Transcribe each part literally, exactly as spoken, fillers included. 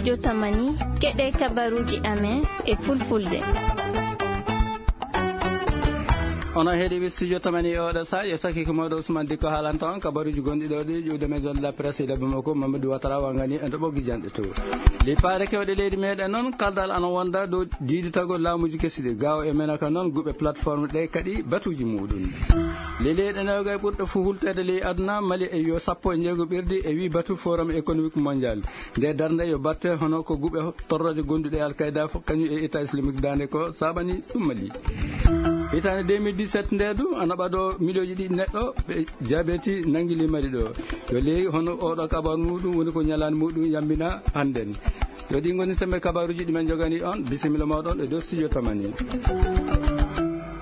Yo tamani, keɗe kabaruuji amen e fulfulde. Onon heɗiiɓe Studio Tamani e oɗo saha, yo sakiiko mawɗo Ousmane Dikko haalanta on kabaruuji gonɗi ɗo ɗi ƴuwde Maison de la Presse e Bamako, Mamadou Ouattara wangani en to ɓoggi janɗe to. Lippaare kewɗe leydi meɗen noon, kaldal ana wonda dow diiditagol laamuuji kesi ɗi. Gaawo e Menaka noon, guɓe plateforme ɗe kadi batuuji muɗum. Ley leyɗe newgay ɓurɗe fo hulteede ley aduna, Mali e yo sappo e jeego ɓerdi e wi batu Forum économique mondial. Nde darnde yo batte hono ko guɓe torrooje gonduɗe e Al-Qaida fof, kañum e État islamique dande ko saɓani ɗum Mali. Hitaande deux mille dix-sept nde du, ana ɓaɗo miliyonji ɗiɗi neɗɗo ɓe jabeti nanngili Mali ɗo. Yo ley hono oɗo kabaru muɗum woni ko ñalaande muɗum yambina hannden. Yo ɗi ngoni sembe kabaruuji ɗi men jogani on, bisimilla mawɗon e dow Studio Tamani.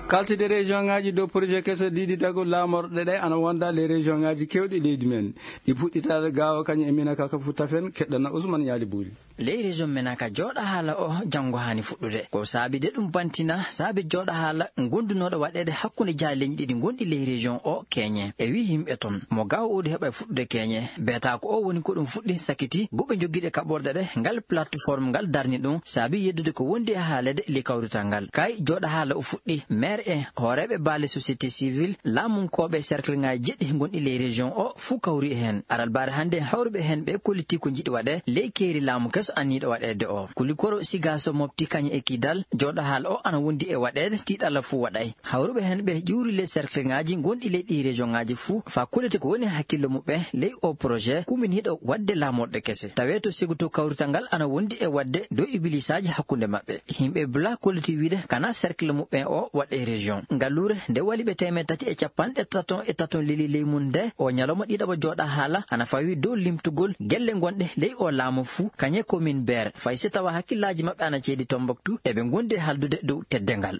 Kaltide région ngaji dow projet keso diiditagol laamorɗe ɗe ana wonda les région ngaji kewɗi leydi men. Ɗi puɗɗitaade gaawo kañum e mina kaka fu tafen keɗɗana Ousmane Ñaali Buuli. Ley région Menaka jooɗa haala o janngo haani fuɗɗude. Ko saabi de ɗum bantina saabi jooɗa haala gondunooɗo waɗeede hakkunde jaaha leñɗi ɗiɗi gonɗi ley région o keñe. E wi yimɓe toon, mo gaawo o ɗi heɓa e fuɗɗude keñe. Beeta ko o woni ko ɗum fuɗɗi sakiti guɓe jogiiɗe kaɓorɗe ɗe ngal plateforme ngal darni ɗum saabi yeddude ko wondi e haaleede ley kawrital ngal. Kay jooɗa haala o fuɗɗi, maire e hooreeɓe baale société civile, laamunkooɓe cercle ŋaaji jeɗɗi gonɗi ley région o fuu kawri e heen. Aral baare hannde hawruɓe heen ɓe kolliti ko njiɗi waɗe ley keeri laamu keso anniiɗo waɗeede o. Kulikoro Sigaso Mopti kañum e Kidal, jooɗa haala o ana wondi e waɗeede, tiiɗalla fuu waɗay. Hawruɓe heen ɓe ƴuuri ley cercle ŋaaji gonɗi ley ɗi région ŋaaji fuu faa kolliti ko woni hakkillo muɓɓen ley o projet kuminiiɗo waɗde laamorɗe kese. Tawee to sigoto kawrital ngal ana wondi e waɗde dow ibilisaaji hakkunde maɓɓe. Yimɓe bla kolliti wiide kana cercle muɓɓen o waɗe région. Ngalluure nde waliɓe teemeɗɗe tati e capanɗe taton e taton leli ley mum nde o ñalawma ɗiɗaɓo jooɗa haala ana fawi dow limtugol gelle gonɗe ley o laamu fuu kañe commune Beer. Fay si tawa hakkillaaji maɓɓe ana ceedi Tombouctou, eɓe gondi e haldude dow teddeengal.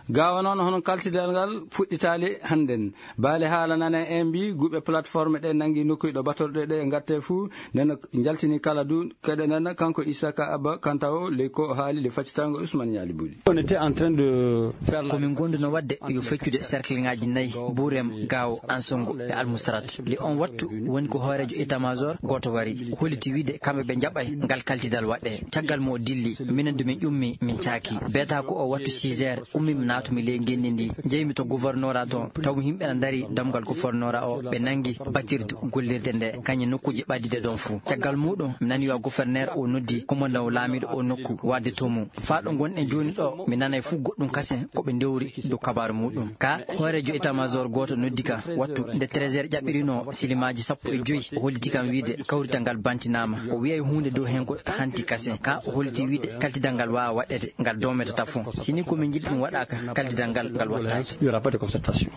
Gaawa noon hono kaltidal ngal fuɗɗitaali hannden. Baale haala nana en mbi guɓe plateforme ɗe nanngi nokkuy ɗo batorɗe ɗe ngatte fuu, nden njaltini kala du keɗe nden kanko Isaka Abba Kantawo ley ko haali le faccitango Ousmane Ñaali Buuli. On était en train de faire la Komin gonduno waɗde yo feccude cercle ŋaaji nayi, Burem, Gaawo, Ansongo e Almusrat. Le on wattu woni ko hooreejo état-major gooto wari, holliti wiide kamɓe ɓe njaɓay ngal kaltidal waɗe. Caggal mo o dilli, minen du min ƴummi, min caaki. Beeta ko o wattu six heures, ummi mi naatumi ley ngenndi ndi, njeymi to gouvernora to, tawmi yimɓe na ndari damgal gouvernora o, ɓe nanngi batirdu gollirde nde, kañum nokkuuji ɓaddiɗe ɗon fuu. Caggal muɗum, mi nani yo gouverneur o noddi commandant laamiiɗo o nokku, warde to mum. Faa ɗo ngonɗen jooni ɗo, mi nanay fuu goɗɗum kasen ko ɓe ndewri dow kabaaru muɗum. Ka hooreejo état-major gooto noddi ka wattu nde treize heures ƴaɓɓirino silimaaji sappo e joy, o holliti kam wiide kawrital ngal bantinaama. O wiyay huunde dow heen ko hanti kasen. Ka o holliti wiide kaltidal ngal waawa waɗeede, ngal dometata fof. Si ni ko min njiɗi ɗum waɗaaka, kaltidal ngal, ngal wattaake. Il n'y aura pas de concertation.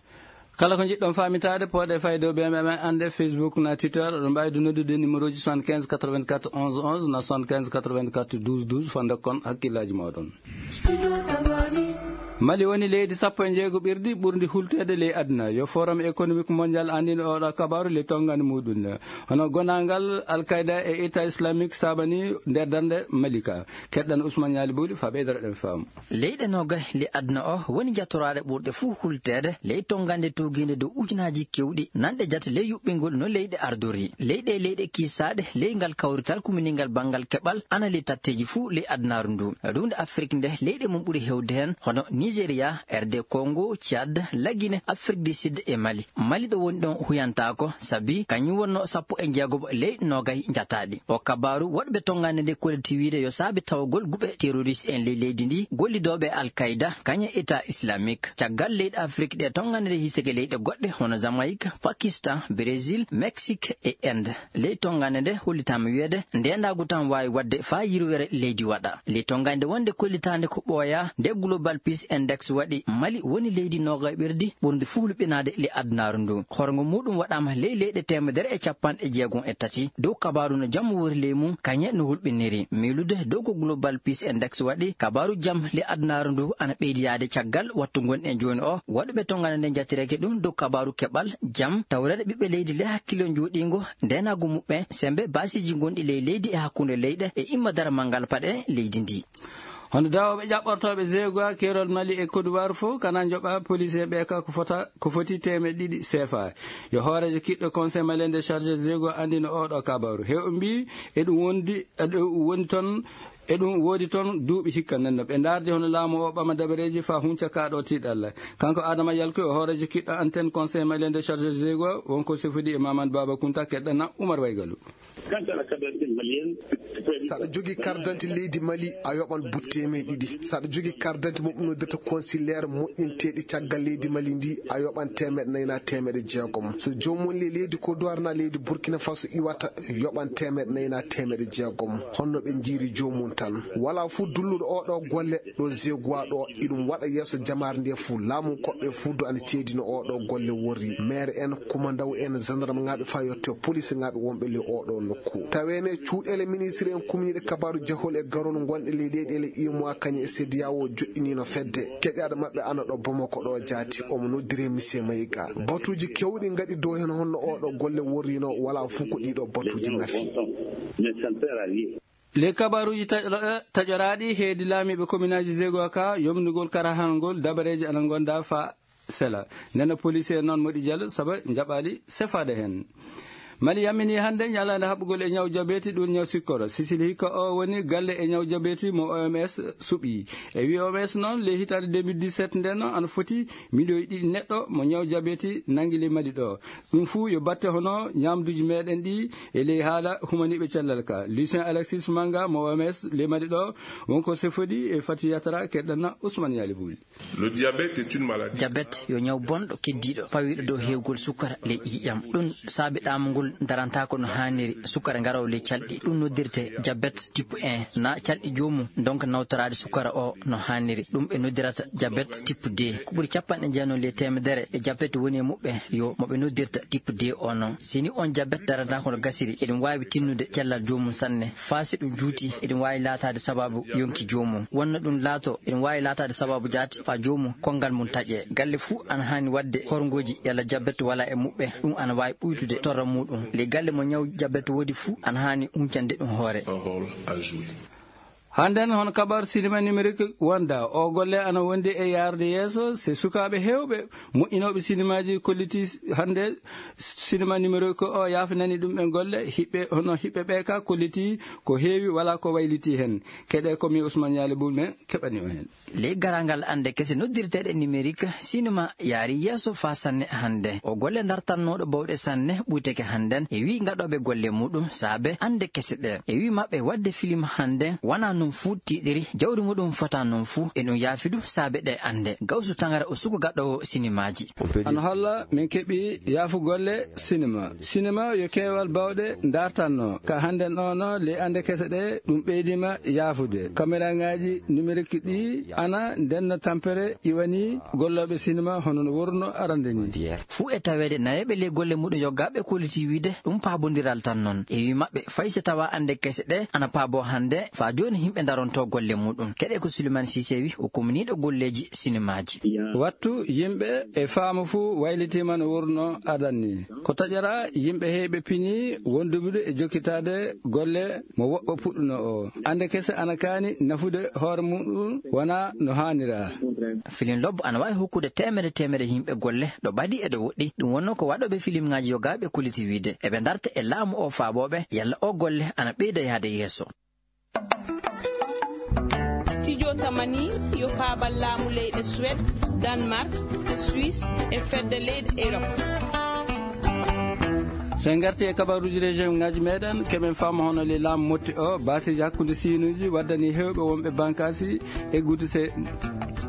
Kala ko njiɗɗon faamitaade, pooɗe fayde o ɓe men annde Facebook na Twitter, oɗon mbaawi du noddude numéro ji soixante-quinze quatre-vingt-quatre onze onze na soixante-quinze quatre-vingt-quatre douze douze, faa ndokkon hakkillaaji mooɗon. Mali woni leydi sappo e jeego ɓerdi ɓurndi hulteede ley aduna. Yo Forum économique mondial anndin oɗo kabaaru ley tonngani muɗum. Hono gonaangal Al-Qaida e État islamique saabani nder darnde Mali ka. Keɗɗan Ousmane Ñaali Buuli faa ɓeydoro ɗen faamu. Leyɗe noogay ley aduna o woni jattoraaɗe ɓurɗe fuu hulteede ley tonngande tuugiinde dow ujunaaji kewɗi nanɗe jate ley yuɓɓingol no leyɗe ardori. Leyɗe, leyɗe kiisaaɗe ley ngal kawrital kuminingal banngal keɓal ana ley tatteeji fuu ley adunaaru ndu. Ruunde Afrik nde leyɗe mum ɓuri heewde heen hono Nigeria, R D Congo, Tchad, Lagine, Afrik du Sud e Mali. Mali ɗo woni ɗon huyantaako, sabi kañum wonno sappo e jeegomo ley noogay njataaɗi. O kabaaru woɗɓe tonngande nde kolliti wiide yo saabi tawgol guɓe terroriste en ley leydi ndi, gollidooɓe Al-Qaida, kañum État islamique. Caggal leyɗe Afrik ɗe tonngande nde hisike leyɗe goɗɗe hono Jamaïque, Pakistan, Brésil, Mexique e Inde. Ley tonngande nde hollitaama wiyeede ndeenaagu tan waawi waɗde faa yirwere leydi waɗa. Ley tonngande wonde kollitaande ko ɓooyaa nde Global Peace Index waɗi, Mali woni leydi noogay ɓerdi ɓurndi fuu hulɓinaade ley adunaaru ndu. Horgo muɗum waɗaama ley leyɗe teemedere e capanɗe jeegom e tati. Dow kabaaru no jam wori ley mum, kañe no hulɓiniri. Miilude dow ko Global Peace Index waɗi, kabaaru jam ley adunaaru ndu ana ɓeydiyaade caggal wattu ngonɗen jooni o. Waɗuɓe tonngande nde njattireeke ɗum dow kabaaru keɓal jam, tawreede ɓiɓɓe leydi ley hakkillo njooɗiingo, ndeenaagu muɓɓen, sembe baasiiji gonɗi ley leydi e hakkunde leyɗe e imma daramal ngal paɗe leydi ndi. Hono dawooɓe ƴaɓɓortooɓe Zegoa, keerol Mali e Côte d'Ivoire fof, kana njoɓa police en ɓe ka ko fota, ko foti teemeɗe ɗiɗi C F A. Yo hooreejo kiɗɗo Conseil Malien des Chargés Zegoa anndino oɗo kabaru. Heewɓe mbi eɗum wondi, eɗum wondi toon, eɗum woodi toon duuɓi hikka. Nden no ɓe ndaardi hono laamu o ɓama dabareeji fa hunca ka ɗo tiiɗalla. Kanko Adama Yalko, o hooreejo kiɗɗo antenne Conseil Malien des Chargés Zegoa, wonko sefodi e Mamadou Baba Kunta, keɗɗana Oumar Waygalu. Saɗa jogii carte d'identité leydi Mali, a yoɓan butte teemeɗe ɗiɗi. Saɗa jogii carte d'identité mo ɓe noddirta consulaire moƴƴinteeɗi caggal leydi Mali ndi, a yoɓan teemeɗe nayi na teemeɗe jeegom. So joomum woni le leydi Côte d'Ivoire na leydi Burkina Faso iwata, yoɓan teemeɗe nayi na teemeɗe jeegom. Honno ɓe njiiri joomum tan? Wala fuu dulluɗo oɗo golle ɗo Zegoa ɗo, iɗum waɗa yeeso jamaare nde fuu. Laamu koɓɓe fuu do ana ceedino oɗo golle worri. Maire en, kumandaw en, gendarme ŋaaɓe fa yotte police ŋaaɓe wonɓe le oɗo nokku. Taweene cuuɗele ministre en kumniiɗe kabaaru jahol e garol ngonɗe le leyɗele imoa kañe e CEDEAO joɗɗiniino fedde. Keƴaɗo maɓɓe ana ɗo Bamako ɗo jaati. Omo noddire Monsieur Mayiga. Batuuji kewɗi ngaɗi dow hen honno oɗo golle worrino wala fuu ko ɗiɗo batuuji nafi. Les kabaruuji taƴo-, taƴoraaɗi heedi laamiiɓe kominaaji Zegoa ka, yomnugol karahanol ngol, dabareeji ana ngonda fa sela. Nena police en noon moɗi jalo, saba njaɓaali sefaade heen. Mali yammini hannde ñalaande haɓɓugol e ñaw jabeti, ɗum ñaw sikkoro. Sicile hikka o woni galle e ñaw jabeti mo O M S suɓi. E wi O M S noon, le hitaande deux mille dix-sept nden noon, ana foti miliyoji ɗiɗi neɗɗo mo ñaw jabeti nangi le Mali ɗo. Ɗum fuu yo batte hono ñaamduuji meɗen ɗi e ley haala humaniiɓe cellal ka. Lucien Alexis Manga mo O M S le Mali ɗo, wonko sefodi e Fatou Yatara, keɗɗana Ousmane Yali Bouli. Le diabète est une maladie. Jabet yo ñaw bonɗo keddiiɗo, pawiiɗo dow heewgol sukara ley ƴiiƴam. Ɗum saabi ɗaamagol daranta ko no haaniri, sukara ngaraw ley calɗi. Ɗum noddirte jabet type un, na calɗi joomum ndonka nawtoraade sukara o no haaniri. Ɗum ɓe noddirata jabet type deux. Ko ɓuri capanɗe jeenom ley teemedere e jabet woni e muɓɓe yo mo ɓe noddirta type deux o noon. Si ni on jabet daranta ko no gasiri, eɗum waawi tinnude cellal joomum sanne. Faa si ɗum juuti, eɗum waawi laataade sabaabu yonki joomum. Wonno ɗum laato, eɗum waawi laataade sabaabu jaati faa joomum konngal mum taƴe. Galle fuu ana haani waɗde horngooji yalla jabet wala e muɓɓe. Ɗum ana waawi ɓuytude torra muuɗum. Ley galle mo ñaw jabet woodi fuu ana haani huncande ɗum hoore. Un rôle à jouer. Hannden hono kabar sinema numérique wonda. O golle ana wondi e yaarde yeeso. Se sukaaɓe heewɓe moƴƴinooɓe sinemaaji kolliti hannde sinema numérique o yaafinani ɗum ɓe golle. Hiɓɓe, hono hiɓɓe ɓe ka kolliti ko heewi wala ko wayliti heen. Keɗe ko mi Ousmane Yali Bouli men keɓani o heen. Ley garangal annde kese noddirteeɗe numérique, sinema yaari yeeso faa sanne hannde. O golle dartannooɗo bawɗe sanne ɓuyteke hannden. E wi gaɗooɓe golle muɗum saabe annde kese ɗe. E wi maɓɓe waɗde film hannden wona noon fuu tiiɗiri, jawdi muɗum fota noon fuu. E ɗum yaafi du saabe ɗe annde. Gawsu Tangara o suko gaɗoowo sinemaaji. Ana holla min keɓi yaafu golle sinema. Sinema yo keewal bawɗe dartanno. Ka hannden o no le annde kese ɗe ɗum ɓeydima yaafude. Kameraŋaaji numérique ɗi ana ndenno tampere iwani gollooɓe sinema hono no worno arande ni. Fuu e taweede nayeeɓe ley golle muɗum yoggaaɓe kolliti wiide ɗum paabondiral tan noon. E wi maɓɓe fay si tawa annde kese ɗe ana paabo hannde, faa jooni yimɓe daronto golle muɗum. Keɗe ko Suleymane Sise wi o kumniiɗo golleeji sinemaaji. Wattu yimɓe e faamu fuu waylitiima no worno adan ni. Ko taƴora yimɓe heewɓe pini wonduɓe e jokkitaade golle mo woɓɓe puɗɗuno o. Annde kese ana kaani nafude hoore muɗum wona no haanira. Filin lobbo ana waawi hokkude teemedde teemedde yimɓe golle ɗo ɓadi e ɗo woɗɗi. Ɗum wonno ko waɗooɓe filimŋaaji yogaaɓe kolliti wiide eɓe darta e laamu o faabooɓe yalla o golle ana ɓeyda yahde yeeso. Studio Tamani yo paabal laamu leyɗe Suède, Danemark, Suisse e fedde leyɗe Europe. So en ngarti e kabaruuji région ngaji meɗen, keɓen faama hono le laamu motti o, baasiiji hakkunde siinuuji waddani heewɓe wonɓe bankaasi eggude se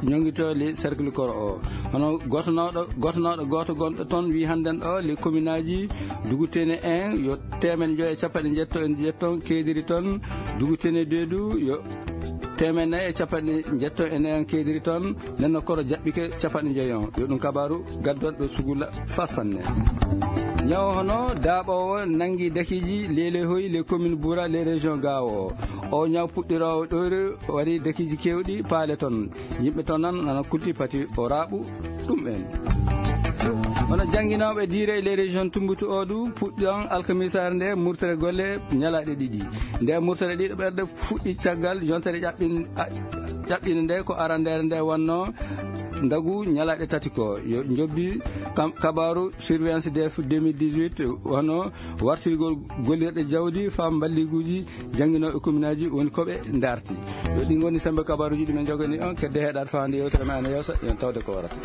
ñongito le cercle koro o. Hono gotonooɗo, gotonooɗo gooto gonɗo toon wi hannden o le commune aji Dugutene un yo teemeɗe njoyo e capanɗe njetto e njetton keediri toon, Dugutene deux du yo teemeɗe nayi e capanɗe njetto e nayi on keediri toon, nenno koro jaɓɓike capanɗe njoyo on. Yo ɗum kabaru gaddonɗo sugula faa sanne. Ñawo hono daaɓoowo nangi dakiiji lele hoyi le commune Boura le région Gao o. O ñaw puɗɗiroowo ɗoyre wari dakiiji keewɗi paale toon. Yimɓe toon nan nana kulti pati o raaɓu ɗum en. Hono jannginooɓe diire e les régions Tumbutu o du puɗɗi on alkamisaare nde murtere golle ñalaaɗe ɗiɗi. Nde murtere ɗiɗo ɓerde fuɗɗi caggal yontere ƴaɓɓin-, a-, Ɗaɓɓinde nde ko arandeere nde wonno ndagu ñalaaɗe tati ko yo jobbi kam, kabaaru surveillance def deux mille dix-huit, wano wartirgol gollirɗe jawdi faa mballiguuji jannginooɓe kominaaji woni ko ɓe ndarti. Yo ɗi ngoni sembe kabaaruuji ɗi min njogani on, kedde heɗaade faa hannde yewtere men ana yeeso, yon tawde ko warata.